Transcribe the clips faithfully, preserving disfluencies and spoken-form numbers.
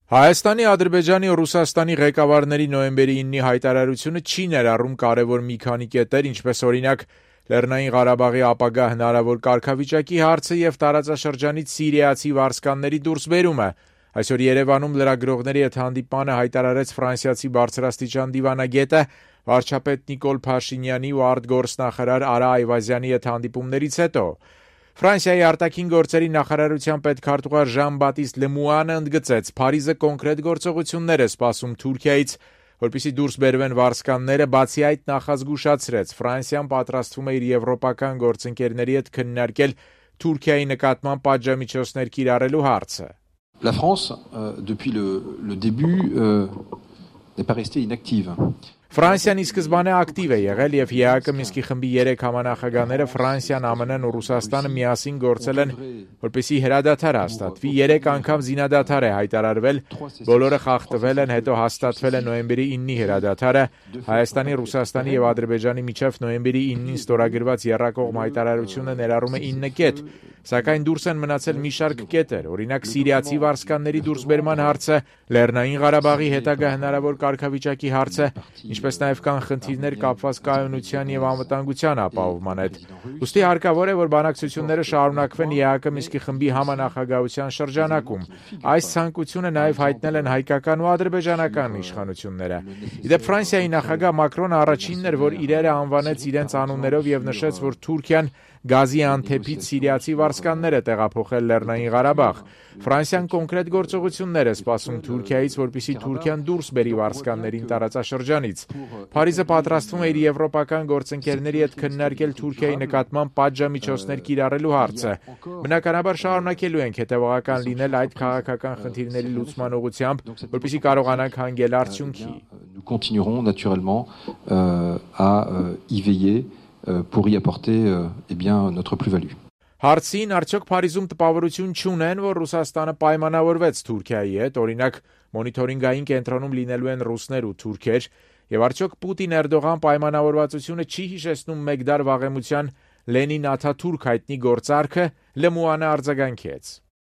Հայաստանի, Ադրբեջանի ու Ռուսաստանի ղեկավարների նոյեմբերի իննի հայտարարությունը չի ներառում կարևոր մի քանի կետեր, ինչպես օրինակ Լեռնային Ղարաբաղի ապագա հնարավոր կարգավիճակի հարցը եւ տարածաշրջանից սիրիացի վարձկանների դուրսբերումը։ Այսօր Երևանում լրագրողների հետ հանդիպմանը հայտարարեց ֆրանսիացի բարձրաստիճան դիվանագետը, վարչապետ Նիկոլ Փաշինյանի ու արտգործնախարար Արա Այվազյանի հետ հանդիպումներից հետո։ Ֆրանսիայի արտաքին գործերի նախարարության պետքարտուղար Ժան-Բատիստ Լեմուանը ընդգծեց, Փարիզը կոնկրետ գործողություններ է սպասում Թուրքիայից, որպեսզի դուրս բերվեն վարձկանները, բացի այդ նախազգուշացրեց, Ֆրանսիան պատրաստվում է իր եվրոպական գործընկերների հետ քննարկել Թուրքիայի նկատմամբ պատժամիջոցներ կիրառելու հարցը։ La France, euh, depuis le, le début, euh, n'est pas restée inactive. Ֆրանսիան ի սկզբանե ակտիվ է եղել եւ ԵԱԿ Մինսկի խմբի երեք համանախագահները Ֆրանսիան, ԱՄՆ-ն ու Ռուսաստանը միասին գործել են, որպեսզի հրադադար հաստատվի, երեք անգամ զինադադար է հայտարարվել, բոլորը խախտվել են, հետո հաստատվել է նոյեմբերի իննի հրադադարը, Հայաստանի, Ռուսաստանի եւ Ադրբեջանի միջև նոյեմբերի իննին ստորագրված եռակողմ հայտարարությունը ներառում է ինը կետ, սակայն դուրս են մնացել մի շարք կետեր, օրինակ սիրիացի վարձկանների դուրսբերման հարցը, Լեռնային Ղարաբաղի հետագա հնարավոր կարգավիճակի հարցը, ինչպես նաև կան խնդիրներ կապված կայունության եւ անվտանգության ապահովման հետ։ Ուստի հարկավոր է, որ բանակցությունները շարունակվեն ԵԱԿ Մինսկի խմբի համանախագահության շրջանակում։ Այս ցանկությունը նաև հայտնել են հայկական ու ադրբեջանական իշխանությունները։ Իդեպ Ֆրանսիայի նախագահ Մակրոնը առաջինն էր, որ իրերը անվանեց իրենց անուններով եւ նշեց, որ Թուրքիան Գազիանթեփից սիրիացի վարձկաններ է տեղափոխել Լեռնային Ղարաբաղ։ Ֆրանսիան կոնկրետ գործողություններ է սպասում Թուրքիայից, որպեսզի Թուրքիան դուրս բերի վարձկաններին տարածաշրջանից։ Փարիզը պատրաստվում է իր եվրոպական գործընկերների հետ քննարկել Թուրքիայի նկատմամբ պատժամիջոցներ կիրառելու հարցը։ Բնականաբար շարունակելու ենք հետևողական լինել այդ քաղաքական խնդիրների լուծման ուղղությամբ, որպեսզի կարողանանք հանգել արդյունքի։ Nous continuerons naturellement euh, à euh, y veiller pour y apporter eh bien notre plus-value. Հարցին արդյոք Փարիզում տպավորություն չունեն, որ Ռուսաստանը պայմանավորվեց Թուրքիայի հետ, օրինակ մոնիթորինգային կենտրոնում լինելու են ռուսներ ու թուրքեր, եւ արդյոք Պուտին-Էրդողան պայմանավորվածությունը չի հիշեցնում մեկ դար վաղեմության Լենին-Աթաթուրք հայտնի գործարքը, Լեմուանը արձագանքեց։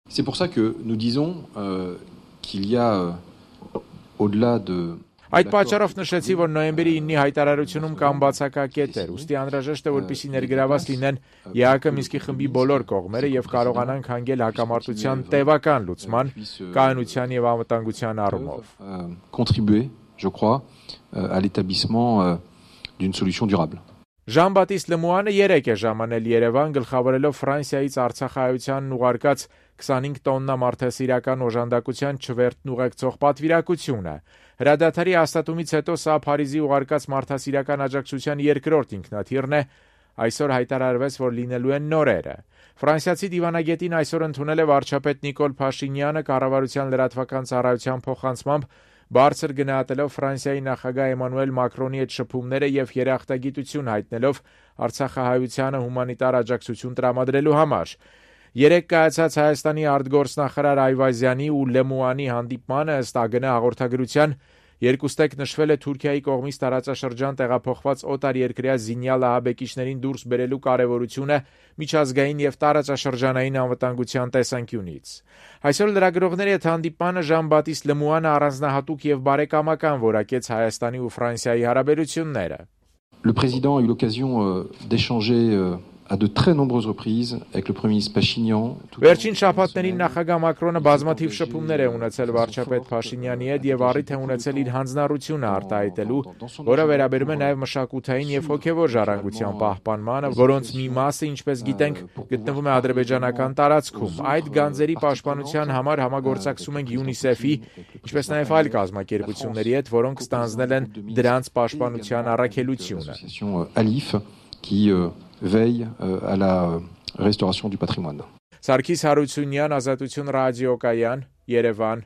C'est pour ça que nous disons euh, qu'il y a euh, au-delà de Այդ պատճառով նշեցի, որ նոյեմբերի իննի հայտարարությունում կան բացակակետեր, ուստի անհրաժեշտ է, որպեսզի ներգրաված լինեն ԵԱԿ Մինսկի խմբի բոլոր կողմերը եւ կարողանանք հանգել հակամարտության տևական լուծման, կայունության եւ անվտանգության առումով։ Contribuer, je crois, à l'établissement d'une solution durable. Ժան-Բատիստ Լեմուանը երեք է ժամանել Երևան, գլխավորելով Ֆրանսիայից Արցախայությանն ուղարկած քսանհինգ տոննա մարդասիրական օժանդակության չվերթն ուղեկցող պատվիրակությունը։ Հրադադարի հաստատումից հետո սա Փարիզի ուղարկած մարդասիրական աջակցության երկրորդ ինքնաթիռն է, այսօր հայտարարվեց, որ լինելու են նորերը։ Ֆրանսիացի դիվանագետին այսօր ընդունել է վարչապետ Նիկոլ Փաշինյանը կառավարության լրատվական ծառայության փոխանցմամբ, բարձր գնահատելով Ֆրանսիայի նախագահ Էմանուել Մակրոնի հետ շփումները եւ երախտագիտություն հայտնելով Արցախահայությանը հումանիտար աջակցություն տրամադրելու համար։ Երեք կայացած Հայաստանի արտգործնախարար Այվազյանի ու Լեմուանի հանդիպմանը ըստ ԱԳՆ հաղորդագրության երկուստեք նշվել է Թուրքիայի կողմից տարածաշրջան տեղափոխված օտարերկրյա զինյալ ահաբեկիչներին դուրս բերելու կարևորությունը միջազգային եւ տարածաշրջանային անվտանգության տեսանկյունից։ Այսօր լրագրողների հետ հանդիպմանը Ժան-Բատիստ Լեմուանը առանձնահատուկ եւ բարեկամական որակեց Հայաստանի ու Ֆրանսիայի հարաբերությունները։ Le président a eu l'occasion euh, d'échanger euh, à de très nombreuses reprises avec le premier ministre Pachinian. Վերջին շաբաթներին նախագահ Մակրոնը բազմաթիվ շփումներ է ունեցել վարչապետ Փաշինյանի հետ եւ առիթ է ունեցել իր հանձնառությունը արտահայտելու, որը վերաբերում է նաեւ մշակութային եւ հոգեվոր ժառանգության պահպանմանը, որոնց մի մասը, ինչպես գիտենք, գտնվում է ադրբեջանական տարածքում։ Այդ գանձերի պաշտպանության համար համագործակցում ենք ՅՈՒՆԻՍԵՖ-ի, ինչպես նաեւ այլ կազմակերպությունների հետ, որոնք ստանձնել են դրանց պաշտպանության առաքելությունը։ Alif qui euh, veille euh, à la restauration du patrimoine. Սարգիս Հարությունյան, Ազատություն ռադիոկայան, Երևան։